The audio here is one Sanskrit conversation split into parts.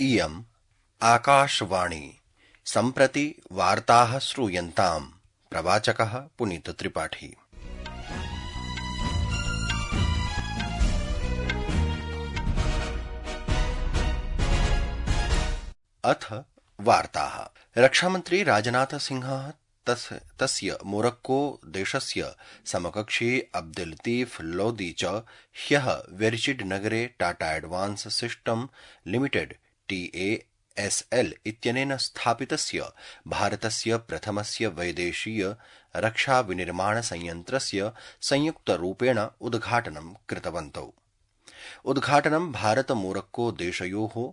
इयम् आकाशवाणी सम्प्रति वार्ताः श्रूयन्ताम्। प्रवाचकः पुनीत त्रिपाठी। अथ वार्ताः। रक्षामन्त्री राजनाथ सिंहः तस्य मोरक्को देशस्य समकक्षी अब्दुल लतीफ लोदी च ह्यः वेरिचिड नगरे Tata advance system limited TASL इत्यनेन स्थापितस्य भारतस्य प्रथमस्य वैदेशीय रक्षा विनिर्माण संयन्त्रस्य संयुक्तरूपेण उद्घाटनं कृतवन्तौ। उद्घाटनं भारत मोरक्को देशयोः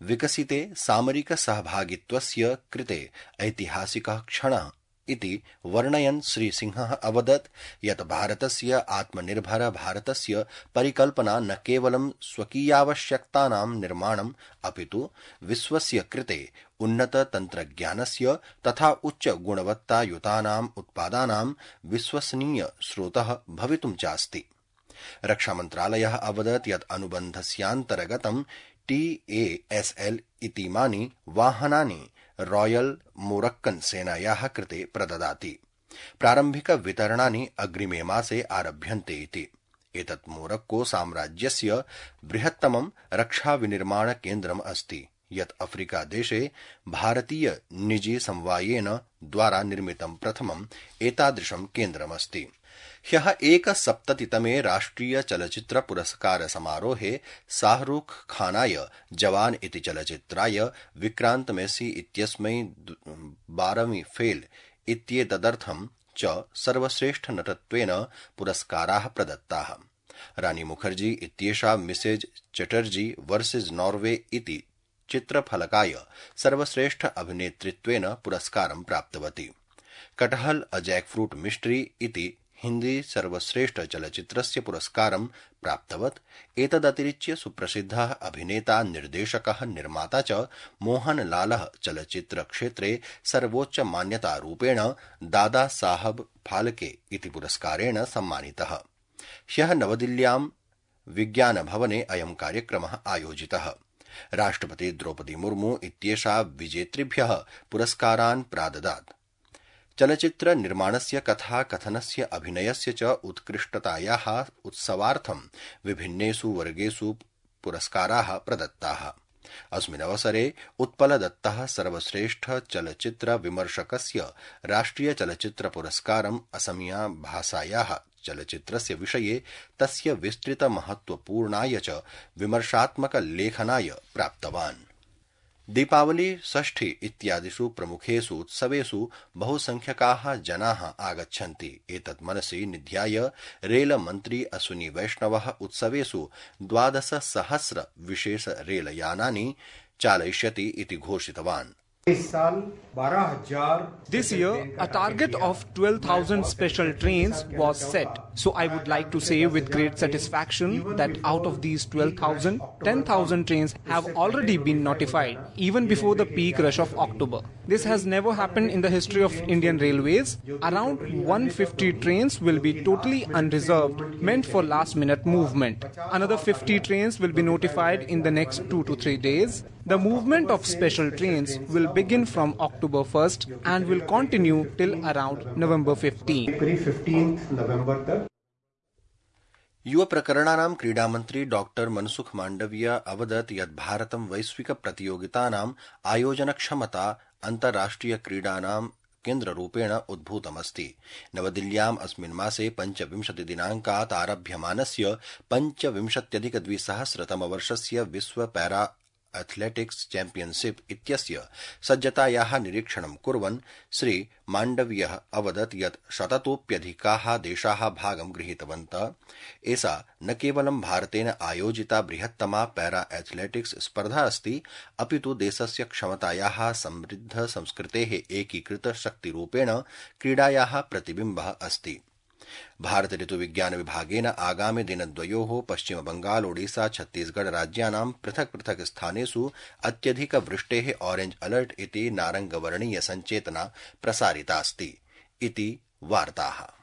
विकसिते सामरिक सहभागित्वस्य कृते ऐतिहासिकः क्षणः इति वर्णयन् श्रीसिंहः अवदत् यत् भारतस्य आत्मनिर्भर भारतस्य परिकल्पना न केवलं स्वकीयावश्यकतानां निर्माणम् अपितु विश्वस्य कृते उन्नत तन्त्रज्ञानस्य तथा उच्च गुणवत्तायुतानाम् उत्पादानां विश्वसनीय स्रोतः भवितुं चास्ति। रक्षामन्त्रालयः अवदत् यत् अनुबन्धस्यान्तर्गतं TASL इतीमानि वाहनानि रॉयल मोरक्कन सेनायाः कृते प्रददाति। प्रारम्भिक वितरणानि अग्रिमे मासे आरभ्यन्ते इति। एतत् मोरक्को साम्राज्यस्य बृहत्तमं रक्षा विनिर्माण केन्द्रम् अस्ति यत् अफ्रीका देशे भारतीय निजी समवायेन द्वारा निर्मितं प्रथमम् एतादृशं केन्द्रमस्ति। ह्यः 71तमे राष्ट्रिय चलचित्र पुरस्कार समारोहे शाहरुख खानाय जवान इति चलचित्राय विक्रांत मेसी इत्यस्मै 12वीं फेल इत्येतदर्थं च सर्वश्रेष्ठ नटत्वेन पुरस्काराः प्रदत्ताः। रानी मुखर्जी इत्येषा मिसेज चटर्जी वर्सेस नॉर्वे इति चित्रफलकाय सर्वश्रेष्ठ अभिनेत्रित्वेन पुरस्कारं प्राप्तवती। कटहल अ जैकफ्रूट मिस्ट्री इति हिंदी सर्वश्रेष्ठ चलचित्रस्य पुरस्कारं प्राप्तवत्। एतदतिरिच्य सुप्रसिद्धः अभिनेता निर्देशकः निर्माता च मोहनलालः चलचित्रक्षेत्रे सर्वोच्च मान्यतारूपेण दादा साहब फाल्के इति पुरस्कारेण सम्मानितः। ह्यः नवदिल्ल्यां विज्ञानभवने अयं कार्यक्रमः आयोजितः। राष्ट्रपति द्रौपदी मुर्मू इत्येषा विजेतृभ्यः पुरस्कारान् प्राददात्। चलचित्र निर्माणस्य कथा कथनस्य अभिनयस्य च उत्कृष्टतायाः उत्सवार्थं विभिन्नेषु वर्गेषु पुरस्काराः प्रदत्ताः। अस्मिन् अवसरे उत्पलदत्तः सर्वश्रेष्ठ चलचित्र विमर्शकस्य राष्ट्रिय चलचित्र पुरस्कारम् असमिया भाषायाः चलचित्रस्य विषये तस्य विस्तृत महत्वपूर्णाय च विमर्शात्मक लेखनाय प्राप्तवान्। दीपावली षष्ठी इत्यादिषु प्रमुखेषु उत्सवेषु बहुसंख्यकाः जनाः आगच्छन्ति। एतत् मनसि निध्याय रेलमन्त्री अश्विनी वैष्णवः उत्सवेषु 12,000 विशेष रेलयानानि चालयिष्यति इति घोषितवान्। This year, a target of 12,000 special trains was set. So I would like to say with great satisfaction that out of these 12,000, 10,000 trains have already been notified, even before the peak rush of October. This has never happened in the history of Indian Railways. Around 150 trains will be totally unreserved, meant for last-minute movement. Another 50 trains will be notified in the next 2 to 3 days. The movement of special trains will begin from October 1st and will continue till around November 15th. युव प्रकरणानां क्रीडामन्त्री डॉक्टर मनसुख मांडविया अवदत् यत् भारतं वैश्विक प्रतियोगितानाम् आयोजनक्षमता अन्ताराष्ट्रिय क्रीडानां केन्द्ररूपेण उद्भूतमस्ति। नवदिल्ल्याम् अस्मिन् मासे 25 दिनाङ्कात् आरभ्यमानस्य 25,200 विश्व पैरा एथलेटिक्स चैम्पियनशिप इत्यस्य सज्जतायाः निरीक्षणं कुर्वन् श्री माण्डव्यः अवदत् यत् 100तोऽप्यधिकाः देशाः भागं गृहीतवन्तः। एषा न केवलं भारतेन आयोजिता बृहत्तमा पैरा एथलेटिक्स स्पर्धा अस्ति, अपितु देशस्य क्षमतायाः समृद्ध संस्कृतेः एकीकृत शक्तिरूपेण क्रीडायाः प्रतिबिम्बः अस्ति। भारत ऋतुविज्ञान विभागेन आगामि दिनद्वयोः पश्चिम बंगाल ओडिशा छत्तीसगढ़ राज्यानां पृथक् पृथक् स्थानेषु अत्यधिक वृष्टेः ऑरेंज अलर्ट इति नारंगवर्णीय संचेतना प्रसारितास्ति इति वार्ताः।